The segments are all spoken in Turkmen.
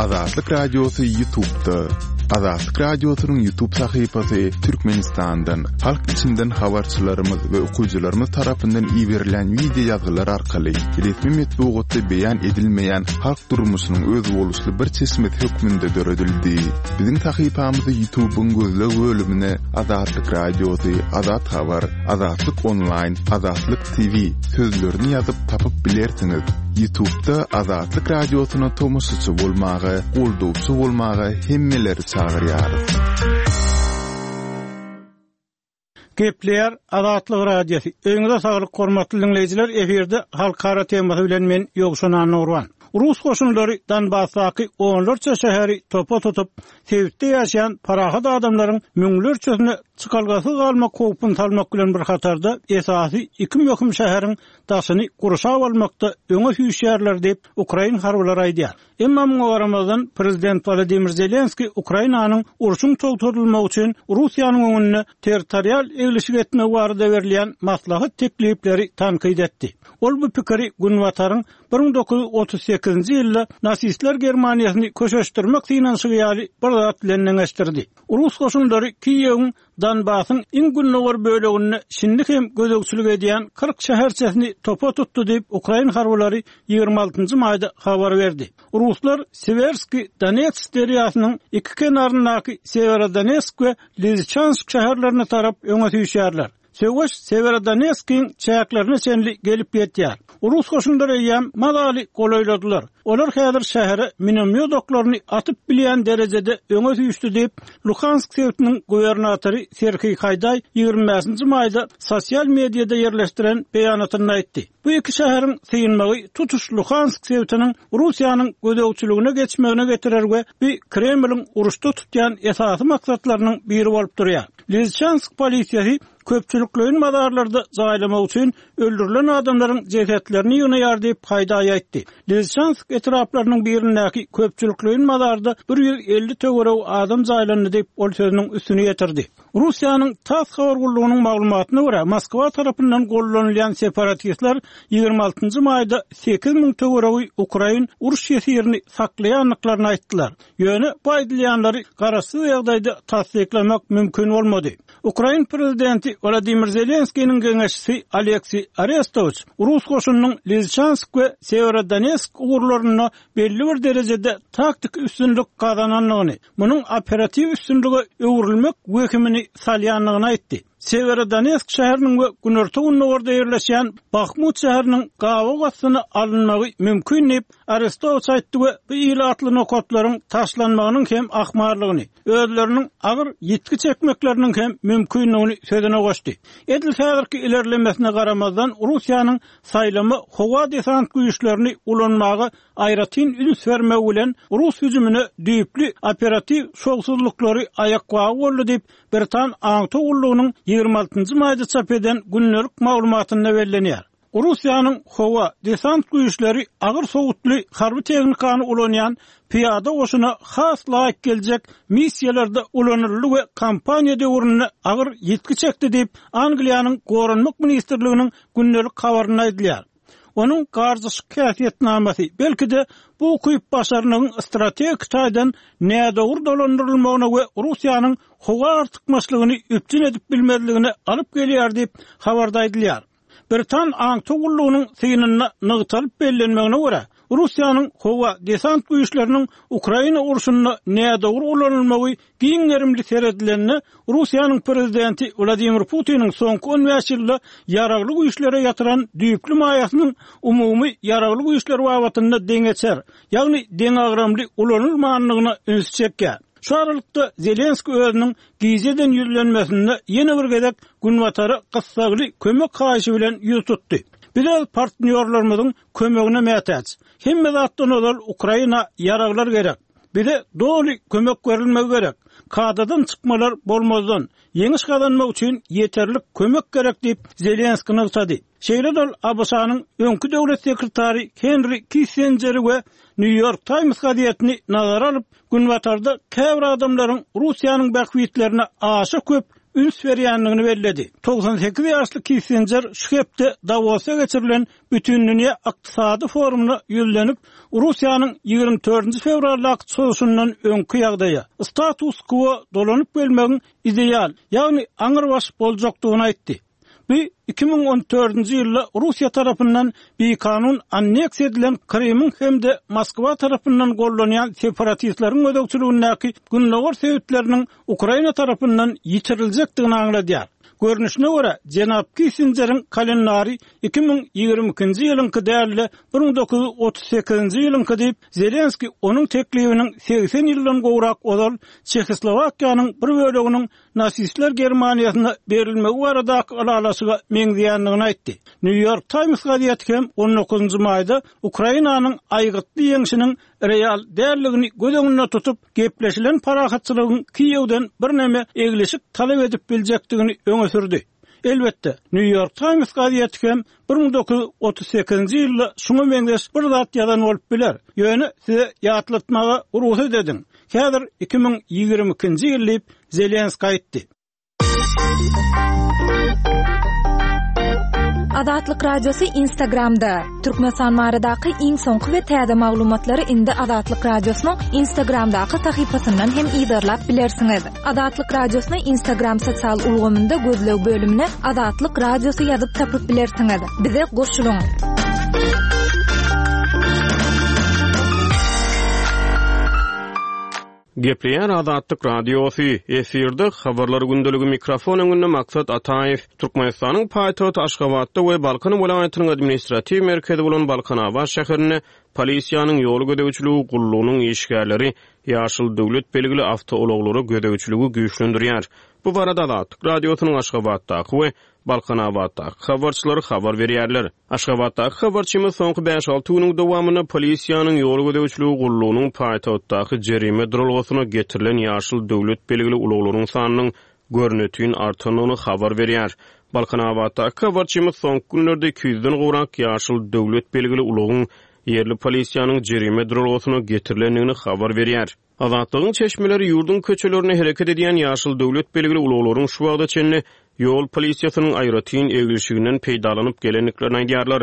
Azatlyk Radiosy Ýutubda. Azatlyk Radiosynyň Ýutub sahypasy Türkmenistandan, halk içinden habarçylarymyz we okyjylarymyz tarapyndan iberilen wideo ýazgylar arkaly resmi metbugatda beýan edilmeýän halk durmuşynyň özboluşly bir çeşmesi hökmünde döredildi. Biziň sahypamyzy Ýutubyň gözleg bölümine Azatlyk Radiosy, Azat Habar, Azatlyk Onlaýn, Azatlyk TV sözlerini ýazyp tapyp bilersiňiz. Ýutubda Azatlyk Radiosyna tomaşaçy bolmaga, goldawçy bolmaga hemmeleri çagyrýarys. Gepleýär Azatlyk Radiosy. Öýüňize saglyk hormatly diňleýjiler, efirde halkara temasy bilen men Ýowşan Annagurban. Rus goşunlary Donbasdaky onlarça şäheri topa tutup, sebitde ýaşaýan parahat adamlaryň müňlerçesine çykalgasyz galmak howpuny salmak bilen bir hatarda, esasy iki möhüm şäheriň daşyny gurşap almakda öňe süýşýärler diýip, ukrain harbylary aýdýar. Emma muňa garamazdan, prezident Wolodymyr Zelenskiý Ukrainanyň urşuň togtadylmagy üçin Russiýanyň öňünde territorial eglişik etmegi barada berilýän maslahat-teklipleri tankyt etdi. Ol bu pikiri Günbataryň 1938-nji ýylda nasistler Germaniýasyny köşeşdirmek synanyşygy ýaly bir zat bilen deňeşdirdi. Rus goşunlary Kiýewiň Donbasyň iň gündogar böleginde şindi hem gözegçilik edýän 40 şäherçesini topa tutdy diýip, ukrain harbylary 26-njy maýda habar berdi. Ruslar Siwerskiý Donets derýasynyň iki kenaryndaky Sewerodonetsk we Liziçansk şäherlerine tarap öňe süýşýärler. Söweş Sewerodonetskiň çäklerine çenli gelip ýetýär. Rus goşunlary eýýäm mazaly golaýladylar. Olar häzir şähere minomýot oklaryny atyp bilýän derejede öňe süýşdi diýip, Luhansk sebitiniň gubernatory Serhiý Haýdaý 25-nji maýda sosial mediada ýerleşdiren beýanatynda aýtdy. Bu iki şäheriň synmagy tutuş Luhansk sebitiniň Russiýanyň gözegçiligine geçmegine getirer we bu Kremliň uruşda tutýan esasy maksatlarynyň biri bolup durýar. Liziçansk polisiýasy köpçülikleýin mazarlarda jaýlamak üçin öldürilen adamlaryň jesetlerini ýygnaýar diýip, Haýdaý aýtdy. Liziçansk etraplarynyň birindäki köpçülikleýin mazarda 150 töweregi adam jaýlandy diýip, ol sözüniň üstüni ýetirdi. Russiýanyň TASS habar gullugynyň maglumatyna görä, Moskwa tarapyndan gollanylýan separatistler 26-njy maýda 8000 töweregi ukrain uruş ýesirini saklaýandyklaryny aýtdylar. Ýöne bu aýdylýanlary garaşsyz ýagdaýda tassyklamak mümkin bolmady. Ukrain prezidenti Wladimir Zelenskiniň geňeşçisi Oleksiý Arestowiç rus goşunynyň Liziçansk we Sewerodonetsk ugurlarynda belli bir derejede taktiki üstünlik gazanandygyny, munuň operatiw üstünlige öwrülmek wehimini salýandygyny aýtdy. Sewerodonetsk şäheriniň we günorta-gündogarda ýerleşýän Bahmut şäheriniň gabaw astyna alynmagy mümkin diýip, Arestowiç aýtdy we bu ilatly nokatlaryň taşlanmagynyň hem ahmallygyny, özleriniň agyr ýitgi çekmekleriniň hem mümkindigini sözüne goşdy. Edil häzirki ilerlemesine garamazdan, Russiýanyň saýlama howa-desant güýçlerini ulanmaga aýratyn üns bermegi bilen rus hüjümine düýpli operatiw şowsuzlyklary aýakbagy boldy diýip, Britan aňtaw gullugynyň 26 maýda çap eden gündelik maglumatynda bellenýär. Russiýanyň howa desant güýçleri agyr sowutly harby tehnikany ulanýan pyýada goşuna has laýyk geljek missiýalarda ulanyldy we kampaniýa döwründe agyr ýitgi çekdi diýip, Angliýanyň Goranmak ministrliginiň gündelik habarynda aýdylýar. Onuň garjaşyk häsiýetnamasy, belki-de, bu ukyp-başarnygyň strategik taýdan nädogry dolandyrylmagyna we Russiýanyň howa artykmaçlygyny üpjün edip bilmezligine alyp gelýär diýip, habarda aýdylýar. Britan aňtaw gullugynyň synynda nygtalyp bellenmegine görä, Russiýanyň howa-desant güýçleriniň Ukraina urşunda nädogry ulanylmagy Giň gerimli seredilende, Russiýanyň prezidenti Wladimir Putiniň soňky on bäş ýylda ýaragly güýçlere ýatyran düýpli maýasynyň umumy ýaragly güýçler babatynda deňeçer, ýagny deňagramly ulanylmandygyna ünsi çekýär. Şu aralykda, Zelenskiý özüniň gije eden ýüzlenmesinde ýene bir gezek Günbatara gyssagly kömek haýyşy bilen ýüz tutdy. Biz öz partnýorlarymyzyň kömegine mätäç. Hemme zatdan ozal Ukraina ýaraglar gerek. Bize doly kömek berilmegi gerek. Kadadan çykmalar bolmazdan, ýeňiş gazanmak üçin ýeterlik kömek gerek diýip, Zelenskiý nygtady. Şeýle-de ol ABŞ-nyň öňki döwlet sekretary Henri Kissenjeri we Nýu-Ýork Taýms gazetini nazara alyp, Günbatarda käbir adamlaryň Russiýanyň bähbitlerine aşa köp. üns berýändigini belledi. 98 ýaşly Kissinjer şu hepde Dawosda geçirilen Bütindünýä ykdysady forumyna ýüzlenip, Russiýanyň 24-nji fewraldaky çozuşyndan öňki ýagdaýa, status-kwo dolanyp gelmegiň ideal, ýagny aňrybaş boljakdygyny aýtdy. Bu 2014-nji ýylda Russiýa tarapyndan bikanun anneksiýa edilen Krymyň hem-de Moskwa tarapyndan gollanýan separatistleriň gözegçiligindäki gündogar sebitleriniň Ukraina tarapyndan ýitiriljekdigini aňladýar. Görnüşine görä, jenap Kissinjeriň kalendary 2022-nji ýylyňky däl-de, 1938-nji ýylyňky diýip, Zelenskiý onuň teklibiniň 80 ýyldan gowrak ozal Çehoslowakiýanyň bir böleginiň nasistler Germaniýasyna berilmegi baradaky ylalaşyga meňzeýändigini aýtdy. Nýu-Ýork Taýms gazeti hem on dokuzynjy maýda Ukrainanyň aýgytly ýeňşiniň real däldigini göz öňünde tutup, gepleşilen parahatçylygyň Kiýewden birneme eglişik talap edip biljekdigini öňe sürdi. Elbetde, Nýu-Ýork Taýms gazeti hem 1938-nji ýylda şuňa meňzeş bir zat ýazan bolup biler. Ýöne size ýatlatmaga rugsat ediň, häzir 2022-nji ýyl diýip, Zelenskiý aýtdy. Azatlyk Radiosy Instagramda, Türkmenistan baradaky iň soňky we täze maglumatlary indi Azatlyk Radiosynyň Instagramdaky sahypasyndan hem yzarlap bilersiňiz. Azatlyk Radiosyny Instagram sosial ulgamynda gözleg bölümine Azatlyk Radiosy ýazyp tapyp bilersiňiz. Bize goşulyň! Gepleýär Azatlyk Radiosy, efirde Habarlar gündeligi mikrofon öňünde Maksat Ataýew. Türkmenistanyň paýtagty Aşgabatda we Balkan welaýatynyň administratiw merkezi bolan Balkanabat şäherinde polisiýanyň ýol gözegçiligi gullugynyň işgärleri ýaşyl döwlet belgili awtoulaglara gözegçiligi güýçlendirýär. Bu barada Azatlyk Radiosynyň Aşgabatdaky we Balkanabatdaky habarçylary habar berýärler. Aşgabatdaky habarçymyz soňky bäş-alty günüň dowamynda polisiýanyň ýol gözegçiligi gullugynyň paýtagtdaky jerime duralgasyna getirilen ýaşyl döwlet belgili ulaglaryň sanynyň görnetin artandygyny habar berýär. Balkanabatdaky habarçymyz soňky günlerde 200-den gowrak ýaşyl döwlet belgili ulagyň ýerli polisiýanyň jerime duralgasyna getirilendigini habar berýär. Azatlygyň çeşmeleri ýurduň köçelerinde hereket edýän ýaşyl döwlet belgili ulaglaryň şu wagta çenli ýol polisiýasynyň aýratyn eglişiginden peýdalanyp gelendiklerini aýdýarlar.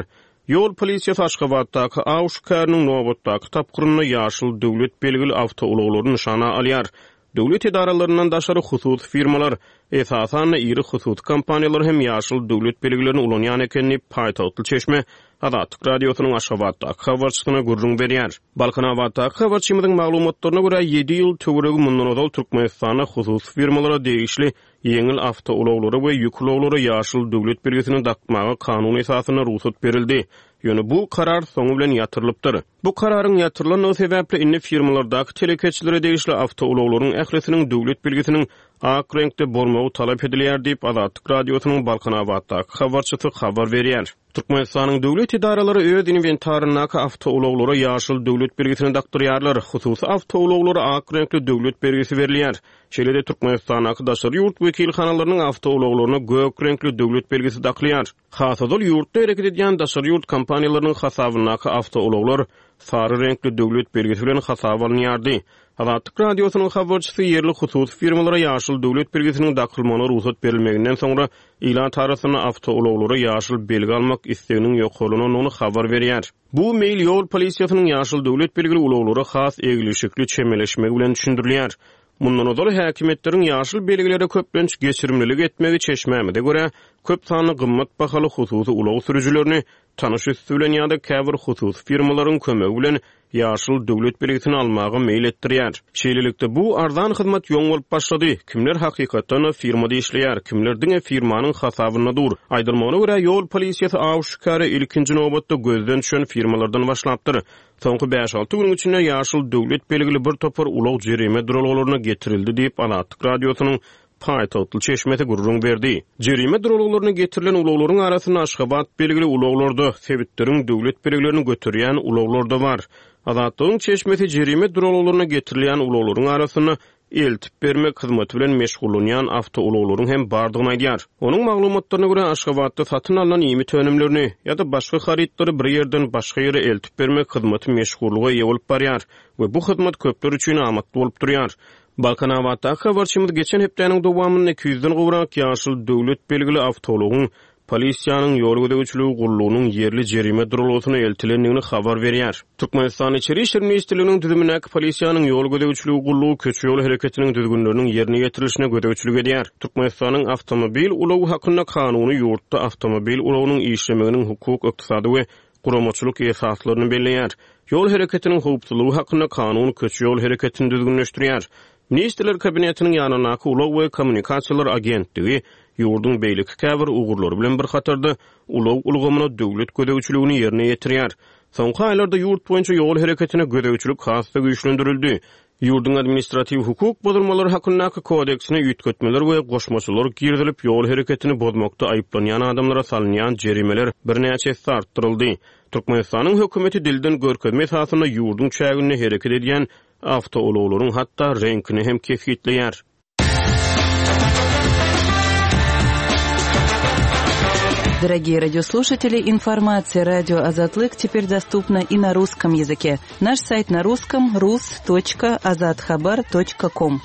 Ýol polisiýasy Aşgabatdaky aw şikäriniň nobatdaky tapgyrynda ýaşyl döwlet belgili awtoulaglary nyşana alýar. Döwlet edaralaryndan daşary hususy firmalar, esasan-da iri hususy kompaniýalar hem ýaşyl döwlet belgilerini ulanýan eken diýip, paýtagtly çeşme Azatlyk Radiosynyň Aşgabatdaky habarçysyna gürrüň berýär. Balkanabatdaky habarçymyzyň maglumatlaryna görä, ýedi ýyl töweregi mundan ozal Türkmenistanda hususy firmalara degişli ýeňil awtoulaglara we ýük ulaglara ýaşyl döwlet belgisini dakmaga kanun esasynda rugsat berildi. Ýöne bu karar soňy bilen ýatyrylypdyr. Bu kararyň ýatyrylandygy sebäpli indi firmalardaky telekeçilere degişli awtoulaglaryň ählisiniň döwlet belgisiniň ak reňkde bolmagy talap edilýär diýip, Azatlyk Radiosynyň Balkanabatdaky habarçysy habar berýär. Türkmenistanyň döwlet edaralary öz inwentaryndaky awtoulaglara ýaşyl döwlet belgisini dakdyrýarlar, hususy awtoulaglara ak reňkli döwlet belgisi berilýär. Şeýle-de Türkmenistandaky daşary ýurt wekilhanalarynyň awtoulaglaryna gök reňkli döwlet belgisi dakylýar. Has ozal ýurtda hereket edýän daşary ýurt kompaniýalarynyň hasabyndaky awtoulaglar sary reňkli döwlet belgisi bilen hasaba alynýardy. Azatlyk Radiosynyň habarçysy ýerli hususy firmalara ýaşyl döwlet belgisiniň dakylmagyna rugsat berilmeginden soňra ilat arasynda awtoulaglara ýaşyl belgi almak isleginiň ýokarlanandygyny habar berýär. Bu meýil ýol polisiýasynyň ýaşyl döwlet belgili ulaglara has eglişikli çemeleşmegi bilen düşündirilýär. Mundan ozal häkimiýetleriň ýaşyl belgilere köplenç geçirimlilik etmegi çeşmämize görä, köp sanly gymmat bahaly hususy ulag sürüjilerini tanyş üsti bilen ýa-da käbir hususy firmalaryň kömegi bilen ýaşyl döwlet belgisini almaga meýil etdirýär. Şeýlelikde, bu arzan hyzmat ýoň bolup başlady. Kimler hakykatdan-da firmada işleýär, kimler diňe firmanyň hasabynda dur. Aýdylmagyna görä, ýol polisiýasy aw-şikäre ilkinji nobatda gözden düşen firmalardan başlapdyr. Soňky bäş-alty günüň içinde ýaşyl döwlet belgili bir topar ulag jerime duralgalaryna getirildi diýip, Azatlyk Radiosynyň paýtagtly çeşmesi gürrüň berdi. Jerime duralgalaryna getirilen ulaglaryň arasynda Aşgabat belgili ulaglar-da, sebitleriň döwlet belgilerini göterýän ulaglar-da bar. Azatlygyň çeşmesi jerime duralgalaryna getirilýän ulaglaryň arasynda eltip bermek hyzmaty bilen meşgullanýan awtoulaglaryň hem bardygyny aýdýar. Onuň maglumatlaryna görä, Aşgabatda satyn alnan iýmit önümlerini ýa-da başga harytlary bir ýerden başga ýere eltip bermek hyzmaty meşhurlyga eýe bolup barýar we bu hyzmat köpler üçin amatly bolup durýar. Balkanabatdaky habarçymyz geçen hepdäniň dowamynda 200-den gowrak ýaşyl döwlet belgili awtoulagyň Polisiýanyň ýol gözegçiligi gullugynyň ýerli jerime duralgasyna eltilendigini habar berýär. Türkmenistanyň Içeri işler ministrliginiň düzümindäki Polisiýanyň ýol gözegçiligi gullugy köçe-ýol hereketiniň düzgünleriniň ýerine ýetirilişine gözegçilik edýär. Türkmenistanyň Awtomobil ulagy hakynda Kanuny ýurtda awtomobil ulagynyň işlemeginiň hukuk, ykdysady we guramaçylyk esaslaryny belleýär. Ýol hereketiniň howpsuzlygy hakynda Kanun köçe-ýol hereketini düzgünleşdirýär. Ministrler Kabinetiniň ýanyndaky Ulag we kommunikasiýalar agentligi ýurduň beýleki käbir ugurlary bilen bir hatarda ulag ulgamyna döwlet gözegçiligini ýerine ýetirýär. Soňky aýlarda ýurt boýunça ýol hereketine gözegçilik has-da güýçlendirildi. Ýurduň Administratiw hukuk bozulmalary hakyndaky kodeksine üýtgetmeler we goşmaçalar girizilip, ýol hereketini bozmakda aýyplanýan adamlara salynýan jerimeler birnäçe esse artdyryldy. Türkmenistanyň hökümeti dilden görkezme esasynda ýurduň çäginde hereket edýän awtoulaglaryň hatda reňkini hem kesgitleýär. Дорогие радиослушатели, информация радио Азатлык теперь доступна и на русском языке. Наш сайт на русском rus.azathabar.com.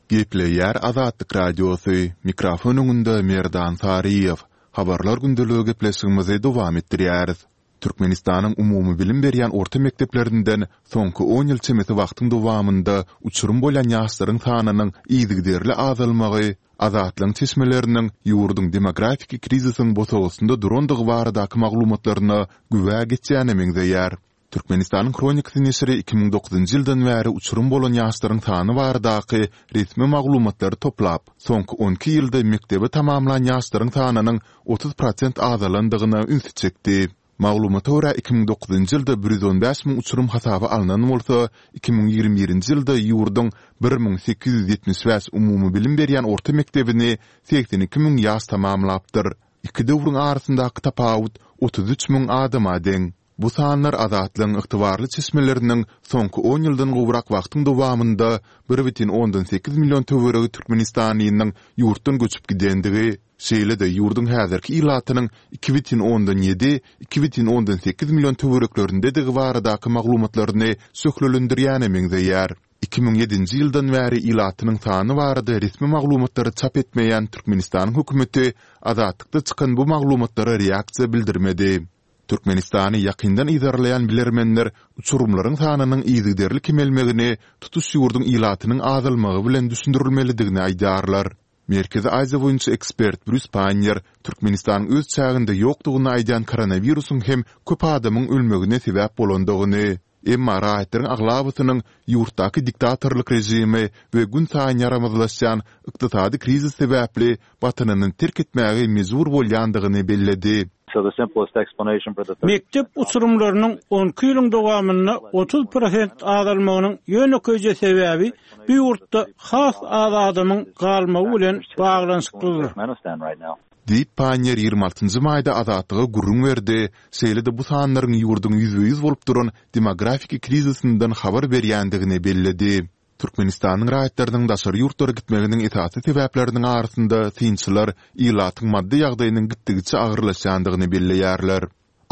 Gepleýär Azatlyk Radiosy, mikrofon öňünde Merdan Saryýew. Habarlar gündeligi gepleşigimizi dowam etdirýäris. Türkmenistanyň umumybilim berýän orta mekdeplerinden soňky on ýyl çemesi wagtyň dowamynda uçurym bolýan ýaşlaryň sanynyň yzygiderli azalmagy Azatlygyň çeşmeleriniň ýurduň demografiki krizisiň bosagasynda durandygy baradaky maglumatlaryna güwä geçýäne meňzeýär. Türkmenistanyň Hronikasy neşiri 2009-njy ýyldan bäri uçurym bolan ýaşlaryň sany baradaky resmi maglumatlary toplap, soňky on iki ýylda mekdebi tamamlan ýaşlaryň sanynyň 30 prosent azalandygyna ünsi çekdi. Maglumata görä, 2009-njy ýylda 115 müň uçurym hasaba alnan bolsa, 2021-nji ýylda ýurduň 1875 umumybilim berýän orta mekdebini 82 müň ýaş tamamlapdyr. Iki döwrüň arasyndaky tapawut 33 müň adama deň. Bu sanlar Azatlygyň ygtybarly çeşmeleriniň soňky on ýyldan gowrak wagtyň dowamynda bir bütin ondan sekiz million töweregi türkmenistanlynyň ýurtdan göçüp gidendigi, şeýle-de ýurduň häzirki ilatynyň iki bütin ondan ýedi, iki bütin ondan sekiz million töwereklerindedigi baradaky maglumatlaryny şöhlelendirýäne meňzeýär. 2007-nji ýyldan bäri ilatynyň sany barada resmi maglumatlary çap etmeýän Türkmenistanyň hökümeti Azatlykda çykan bu maglumatlara reaksiýa bildirmedi. Türkmenistany ýakyndan yzarlaýan bilermenler uçurymlaryň sanynyň yzygiderli kemelmegini tutuş ýurduň ilatynyň azalmagy bilen düşündirilmelidigini aýdýarlar. Merkezi Aziýa boýunça ekspert Brýus Panniýer Türkmenistanyň öz çäginde ýokdugyny aýdýan koronawirusyň hem köp adamyň ölmegine sebäp bolandygyny, Emma raýatlaryň aglabasynyň ýurtdaky diktatorlyk režimi we günsaýyn ýaramazlaşýan ykdysady krizis sebäpli Watanyny terk etmäge mejbur bolýandygyny belledi. Mekdep uçurymlarynyň on iki ýylyň dowamynda 30 prosent azalmagynyň ýönekeýje sebäbi bu ýurtda has az adamyň galmagy bilen baglanyşyklydyr. Diýip, Panniýer 26 njy maýda Azatlyga gürrüň berdi, şeýle-de bu sanlaryň ýurduň ýüzbe-ýüz bolup duran demografiki krizisinden habar berýändigini belledi. Türkmenistanyň raýatlarynyň daşary ýurtlara gitmeginiň esasy sebäpleriniň arasynda synçylar ilatyň maddy ýagdaýynyň gitdigiçe agyrlaşýandygyny belleýärler.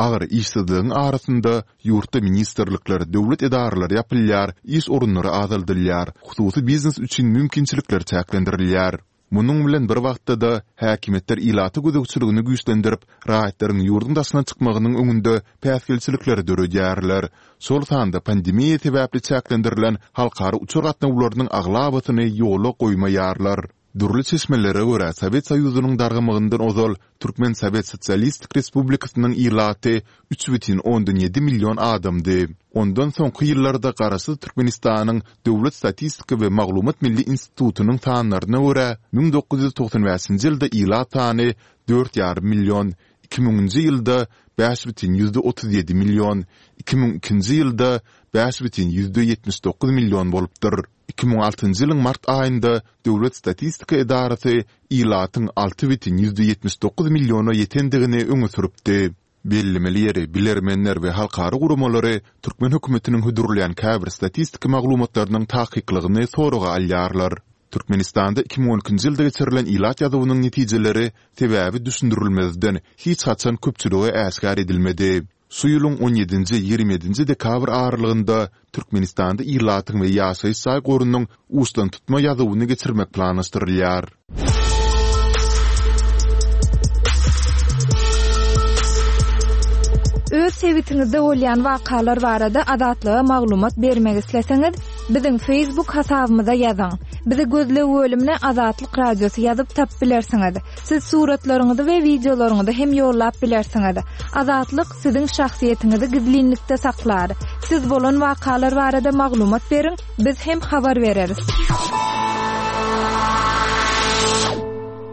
Agyr işsizligiň arasynda ýurtda ministrlikler, döwlet edaralary ýapylýar, iş orunlary azaldylýar, hususy biznes üçin mümkinçilikler çäklendirilýär. Munuň bilen bir wagtda-da, häkimiýetler ilata gözegçiligini güýçlendirip, raýatlaryň ýurduň daşyna çykmagynyň öňünde päsgelçilikleri döredýärler. Şol sanda pandemiýa sebäpli çäklendirilen halkara uçar gatnawlarynyň aglabasyny ýola goýmaýarlar. Dürli çeşmelere görä, Sowet Soýuzynyň dargamagyndan ozal Türkmen Sowet Sosialistik Respublikasynyň ilaty 3,7 million adamdy. Ondan soňky ýyllarda Garaşsyz Türkmenistanyň Döwlet statistika we maglumat milli institutynyň sanlaryna görä, 1995-nji ýylda ilat sany dört ýarym million, iki müňünji ýylda bäş bütin ýüzde 37 million, 2002-nji ýylda bäş bütin ýüzde 79 million bolupdyr. 2006-njy ýylyň mart aýynda Döwlet statistika edarasy ilatyň alty bütin ýüzde 79 milliona ýetendigini öňe sürüpdi. Bellemeli ýeri, bilermenler we halkara guramalary türkmen hökümetiniň hödürleýän käbir statistiki maglumatlarynyň takyklygyny soraga alýarlar. Türkmenistanda 2012-nji ýylda geçirilen ilat ýazuwynyň netijeleri sebäbi düşündirilmezden hiç haçan köpçülige äşgär edilmedi. Şu ýylyň on ýedinji, 27-nji dekabr aralygynda Türkmenistanda ilatyň we ýaşaýyş jaý gorunyň uçdantutma ýazuwyny geçirmek planlaşdyrylýar. Öz sebitiňizde bolýan wakalar barada Azatlyga maglumat bermek isleseňiz, biziň Facebook hasabymyza ýazyň. Bizi gözleg bölümine Azatlyk Radiosy ýazyp tapyp bilersiňiz. Siz suratlaryňyzy we wideolaryňyzy hem ýollap bilersiňiz. Azatlyk siziň şahsyýetiňizi gizlinlikde saklar. Siz bolan wakalar barada maglumat beriň, biz hem habar bereris.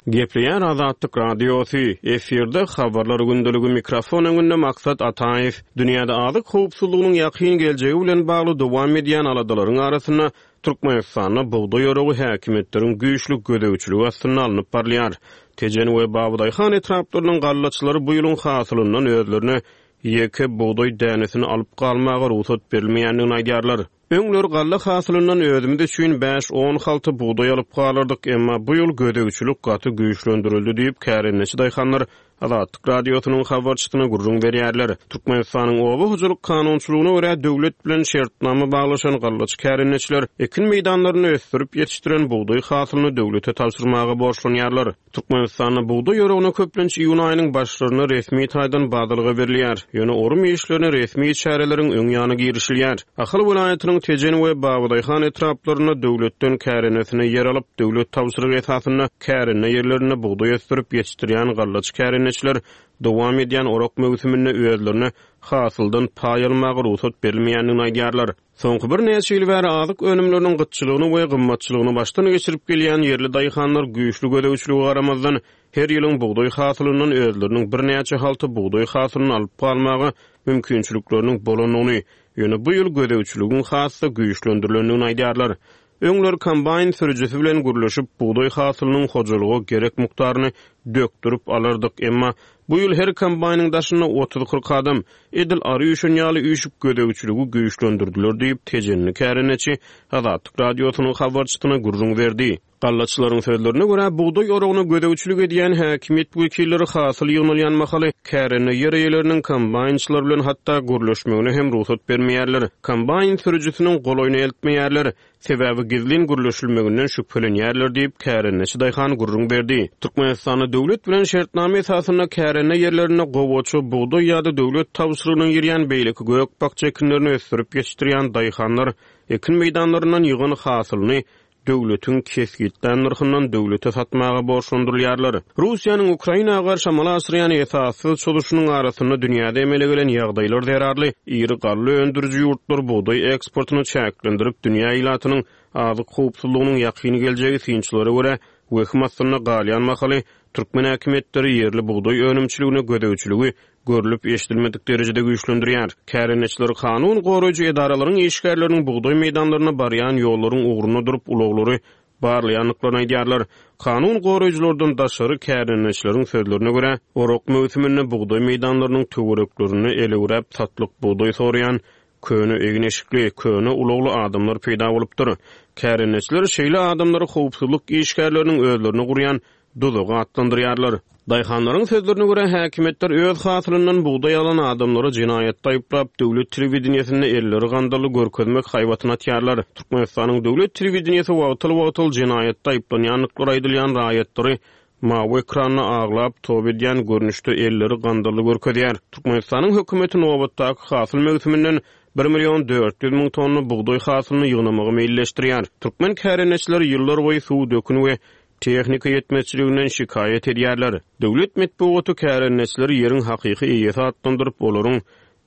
Gepleýär Azatlyk Radiosy, efirde Habarlar gündeligi mikrofon öňünde Maksat Ataýew. Dünýäde azyk howpsuzlygynyň ýakyn geljegi bilen bagly dowam edýän aladalaryň arasynda Türkmenistanda bugdaý oragy häkimiýetleriň güýçli gözegçiligi astynda alnyp barylýar. Tejen we Babadaýhan etraplarynyň gallaçylary bu ýylyň hasylyndan özlerine ýeke bugdaý dänesini alyp galmaga rugsat berilmeýändigini aýdýarlar. Öňler galla hasylyndan özümiz üçin bäş-on halta bugdaý alyp galardyk, emma bu ýyl gözegçilik gaty güýçlendirildi diýip, kärendeçi daýhanlar Azatlyk Radiosynyň habarçysyna gürrüň berýärler. Türkmenistanyň oba hojalyk kanunçylygyna görä, döwlet bilen şertnama baglaşan gallaçy kärendeçiler ekin meýdanlarynda ösdürip ýetişdiren bugdaý hasylyny döwlete tabşyrmaga borçlanýarlar. Türkmenistanda bugdaý oragyna köplenç iýun aýynyň başlarynda resmi taýdan badalga berilýär. Ýöne orum işlerine resmi çäreleriň öň ýany girişilýär. Ahal welaýatynyň Tejen we Babadaýhan etraplarynda döwletden kärendeçine ýer alyp, döwlet tabşyrygy esasynda kärende ýerlerinde bugdaý ösdürip ýetişdirýän gallaçy kärendeçiler dowam edýän orak möwsüminde özlerine hasyldan paý almaga rugsat berilmeýändigini aýdýarlar. Soňky birnäçe ýyl bäri azyk önümleriniň gytçylygyny we gymmatçylygyny başdan geçirip gelýän ýerli daýhanlar güýçli gözegçilige garamazdan, her ýylyň bugdaý hasylyndan özleriniň birnäçe halta bugdaý hasylyny alyp galmaga mümkinçilikleriniň bolandygyny, ýöne bu ýyl gözegçiligiň has-da güýçlendirilendigini aýdýarlar. Öňler kombaýn sürüjisi bilen gürleşip, bugdaý hasylynyň hojalyga gerek mukdaryny dökdürip alardyk, emma bu ýyl her kombaýnyň daşynda otuz-kyrk adam, edil ary üýşen ýaly üýşüp, gözegçiligi güýçlendirdiler diýip, tejenli kärendeçi Azatlyk Radiosynyň habarçysyna gürrüň berdi. Gallaçylaryň sözlerine görä, bugdaý oragyna gözegçilik edýän häkimiýet wekilleri hasyl ýygnalýan mahaly kärende ýer eýeleriniň kombaýnçylar bilen hatda gürleşmegine hem rugsat bermeýärler, kombaýn sürüjisiniň golaýyna eltmeýärler, sebäbi gizlin gürleşilmeginden şübhelenýärler diýip, kärendeçi daýhan gürrüň berdi. Türkmenistanda döwlet bilen şertnama esasynda kärende ýerlerinde gowaça, bugdaý ýa-da döwlet tabşyrygyna girýän beýleki gök-bakja ekinlerini ösdürip ýetişdirýän daýhanlar ekin meýdanlaryndan ýygan hasylyny döwletiň kesgitlän nyrhyndan döwlete satmaga borçlandyrylýarlar. Russiýanyň Ukraina garşy amala aşyrýan esassyz çozuşynyň arasynda dünýäde emele gelen ýagdaýlar zerarly iri galla öndüriji ýurtlar bugdaý eksportyny çäklendirip, dünýä ilatynyň azyk howpsuzlygynyň ýakyn geljegi synçylara görä wehim astynda galýan mahaly türkmen häkimiýetleri ýerli bugdaý önümçiligine gözegçiligi görlüp-eşidilmedik derejede güýçlendirýär. Kärendeçiler kanun goraýjy edaralaryň işgärleriniň bugdaý meýdanlaryna barýan ýollaryň ugrunda durup, ulaglary barlaýandyklaryny aýdýarlar. Kanun goraýjylardan daşary, kärendeçileriň sözlerine görä, orak möwsüminde bugdaý meýdanlarynyň töwereklerinde elewräp satlyk bugdaý soraýan köne egin-eşikli, köne ulagly adamlar peýda bolupdyr. Kärendeçiler şeýle adamlary howpsuzlyk işgärleriniň özlerine gurýan duzagy atlandyrýarlar. Daýhanlaryň sözlerine görä, häkimiýetler öz hasylyndan bugdaý alan adamlary jenaýatda aýyplap, döwlet telewideniýesinde elleri gandally görkezmek haýbatyny atýarlar. Türkmenistanyň döwlet telewideniýesi wagtal-wagtal jenaýatda aýyplanýandyklary aýdylýan raýatlary mawy ekranda aglap, toba edýän görnüşde elleri gandally görkezýär. Türkmenistanyň hökümeti nobatdaky hasyl möwsüminden bir million 400 müň tonna bugdaý hasylyny ýygnamagy meýilleşdirýär. Türkmen kärendeçileri ýyllarboýy suw, dökün we Tehnika ýetmezçiliginden şikaýat edýärler. Döwlet metbugaty kärendeçileri ýeriň hakyky eýesi atlandyryp, olaryň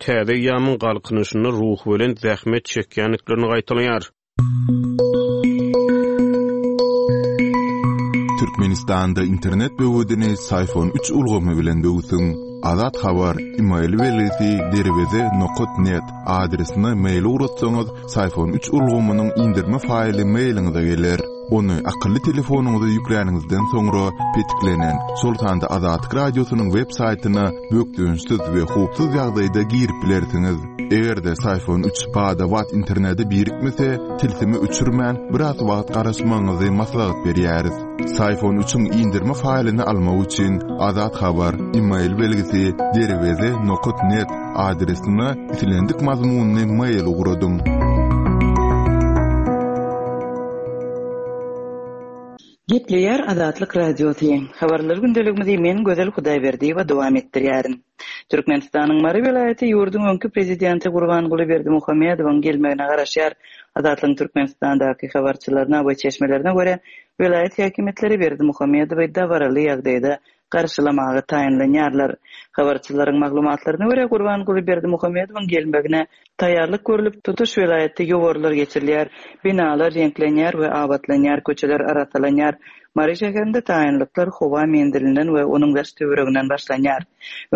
täze eýýamyň galkynyşynda ruhubelent zähmet çekýändiklerini gaýtalaýar. Türkmenistanda internet böwedini Syfon üç ulgamy bilen böwsüň. Azat Habar, email belgisi derweze nokat net adresine mail ugratsaňyz, Syfon üç ulgamynyň indirme faýly mailiňize geler. Ony akylly telefonyňyza ýükläniňizden soňra petiklenen, şol sanda Azatlyk Radiosynyň web saýtyna bökdençsiz we howpsuz ýagdaýda girip bilersiňiz. Eger-de Syfon 3 bada-bat internete birikmese, tilsimi öçürmän, biraz wagt garaşmagyňyzy maslahat berýäris. Syfon 3-iň indirme faýlyny almak üçin Azat Habar, e-mail belgisi, derweze nokat net adresine islendik mazmunly mail ugradyň. Gepleýär Azatlyk Radiosy. Habarlar gündeligimizi men Gözel Hudaýberdiýewa dowam etdirýärin. Türkmenistanyň Mary welaýaty ýurduň öňki prezidenti Gurbanguly Berdimuhamedowyň gelmegine garaşýar. Azatlygyň Türkmenistandaky habarçylaryna we çeşmelerine görä, welaýat häkimiýetleri Berdimuhamedowy dabaraly ýagdaýda garşylamaga taýynlanýarlar. Habarçylaryň maglumatlaryna görä, Gurbanguly Berdimuhamedowyň gelmegine taýýarlyk görlüp, tutuş welaýatda ýowarlar geçirilýär, binalar reňklenýär we abatlanýar, köçeler arassalanýar. Mary şäherinde taýynlyklar howa menzilinden we onuň daş-töwereginden başlanýar.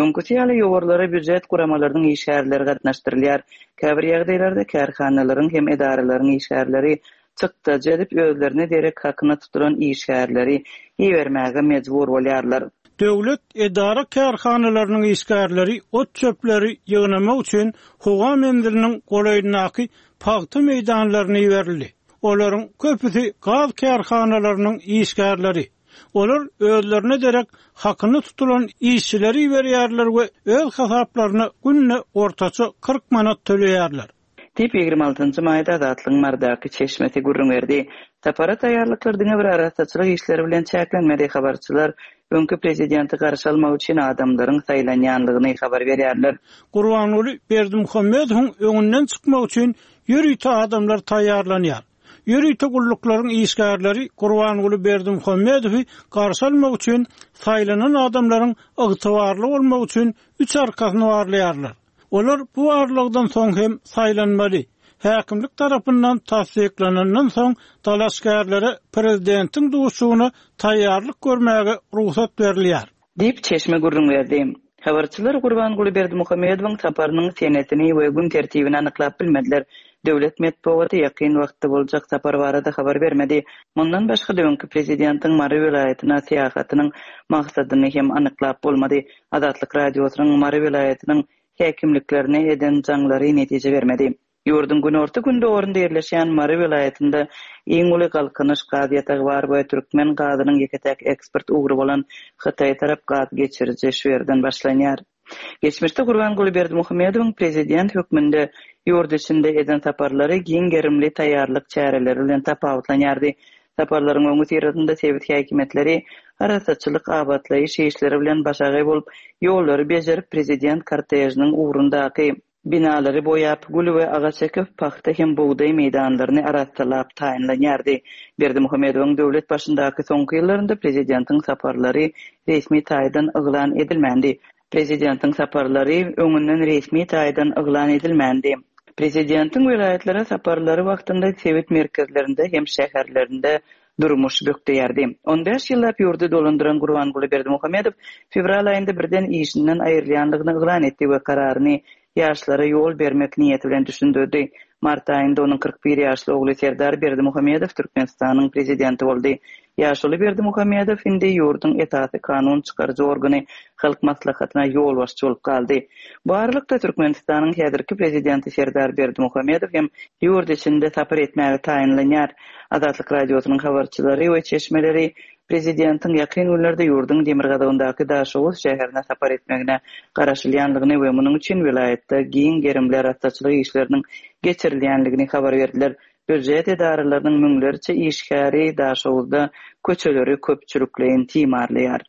Öňküsi ýaly ýowarlara býujet guramalarynyň işgärleri gatnaşdyrylýar. Käbir ýagdaýlarda kärhanalaryň hem edaralaryň işgärleri çykdajy edip özlerine derek hakyna tutulan işgärleri ibermäge mejbur bolýarlar. Döwlet edara-kärhanalarynyň işgärleri ot-çöpleri ýygnamak üçin howa menziliniň golaýyndaky pagta meýdanlaryna iberildi. Olaryň köpüsi gaz kärhanalarynyň işgärleri. Olar özlerine derek hakyna tutulan işçileri iberýärler we öz hasaplaryna günde ortaça 40 manat töleýärler. Diýip, 26 maýda Azatlygyň Marydaky çeşmesi gürrüň berdi. Sapara taýýarlyklar diňe bir arassaçylyk işleri bilen çäklenmedi, habarçylar öňki prezidenti garşy almak üçin adamlaryň saýlanýanlygyny habar berýärler. Gurbanguly Berdimuhamedowyň öňünden çykmak üçin ýörite adamlar taýýarlanýar. Ýörite gulluklaryň işgärleri Gurbanguly Berdimuhamedowy garşy almak üçin saýlanan adamlaryň ygtybarly bolmagy üçin üç arkasyny barlaýarlar. Olar bu barlagdan soň hem saýlanmaly. Häkimlik tarapyndan tassyklanandan soň dalaşgärlere prezidentiň duşuşygyna taýýarlyk görmäge rugsat berilýär. Diýip, çeşme gürrüň berdi. Habarçylar Gurbanguly Berdimuhamedowyň saparynyň senesini we gün tertibini anyklap bilmediler. Döwlet metbugaty ýakyn wagtda boljak sapar barada habar bermedi. Mundan başga-da öňki prezidentiň Mary welaýatyna syýahatynyň maksadyny hem anyklap bolmady. Azatlyk Radiosynyň Mary welaýatynyň häkimliklerine eden jaňlary netije bermedi. Ýurduň günorta-gündogarynda ýerleşýän Mary welaýatynda iň uly Galkynyş gaz ýatagy bar we türkmen gazynyň ýeke-täk eksport ugry bolan Hytaýa tarap gaz geçiriji şu ýerden başlanýar. Geçmişde Gurbanguly Berdimuhamedowyň prezident hökmünde ýurt içinde eden saparlary giň gerimli taýýarlyk çäreleri bilen tapawutlanýardy. Saparlaryň öňüsyrasynda sebit häkimiýetleri arassaçylyk-abatlaýyş işleri bilen başagaý bolup, ýollary bejerip, prezident kortežiniň ugrundaky binalary boýap, gül we agaç ekip, pagta hem bugdaý meýdanlaryny arassalap taýynlanýardy. Berdimuhamedowyň döwlet başyndaky soňky ýyllarynda prezidentiň saparlary resmi taýdan yglan edilmändi. Prezidentiň saparlary öňünden resmi taýdan yglan edilmändi. Prezidentiň welaýatlara saparlary wagtynda sebit merkezlerinde hem şäherlerinde durmuş bökdeýärdi. On bäş ýyllap ýurdy dolandyran Gurbanguly Berdimuhamedow fewral aýynda birden işinden aýrylýandygyny yglan etdi we kararyny ýaşlara ýol bermek niýeti bilen düşündirdi. Mart aýynda onuň 41 ýaşly ogly Serdar Berdimuhamedow Türkmenistanyň Prezidenti boldy. Ýaşuly Berdimuhamedow indi ýurduň esasy kanun çykaryjy organy Halk Maslahatyna ýolbaşçy bolup galdy. Bu aralykda, Türkmenistanyň häzirki Prezidenti Serdar Berdimuhamedow hem ýurt içinde sapar etmäge taýynlanýar. Azatlyk Radiosynyň habarçylary we çeşmeleri prezidentiň ýakyn günlerde ýurduň demirgazygyndaky Daşoguz şäherine sapar etmegine garaşylýandygyny we munuň üçin welaýatda giň gerimli arassaçylyk işleriniň geçirilýändigini habar berdiler. Býujet edaralarynyň müňlerçe işgäri Daşoguzda köçeleri köpçülikleýin timarlaýar.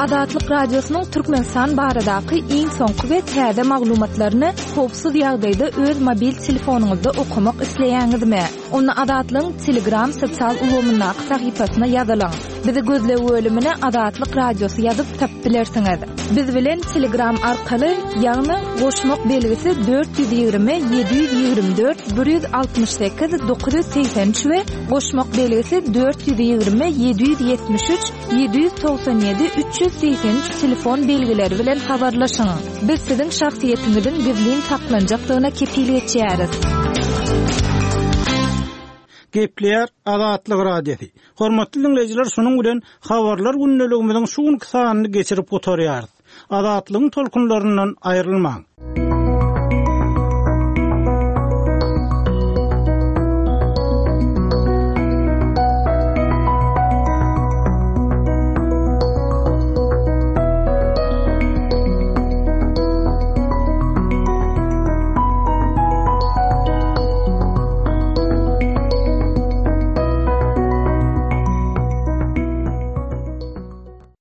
Azatlyk Radiosynyň Türkmenistan baradaky iň soňky we täze maglumatlaryny howpsuz ýagdaýda öz mobil telefonyňyzda okamak isleýäňizmi? Onda Azatlygyň Telegram sosial ulgamyndaky sahypasyna ýazylyň. Bizi gözleg bölümine Azatlyk Radiosy ýazyp tapyp bilersiňiz. Biz bilen Telegram arkaly, ýagny goşmak belgisi 420 724 168 983 we goşmak belgisi 420 773 797 383 telefon belgileri bilen habarlaşyň. Biz siziň şahsyýetiňiziň gizlin saklanjakdygyna kepil geçýäris. Gepleýär Azatlyk Radiosy. Hormatly diňleýjiler, şunuň bilen Habarlar gündeligimiziň şu günki sanyny geçirip gutarýarys. Azatlygyň tolkunlaryndan aýrylmaň!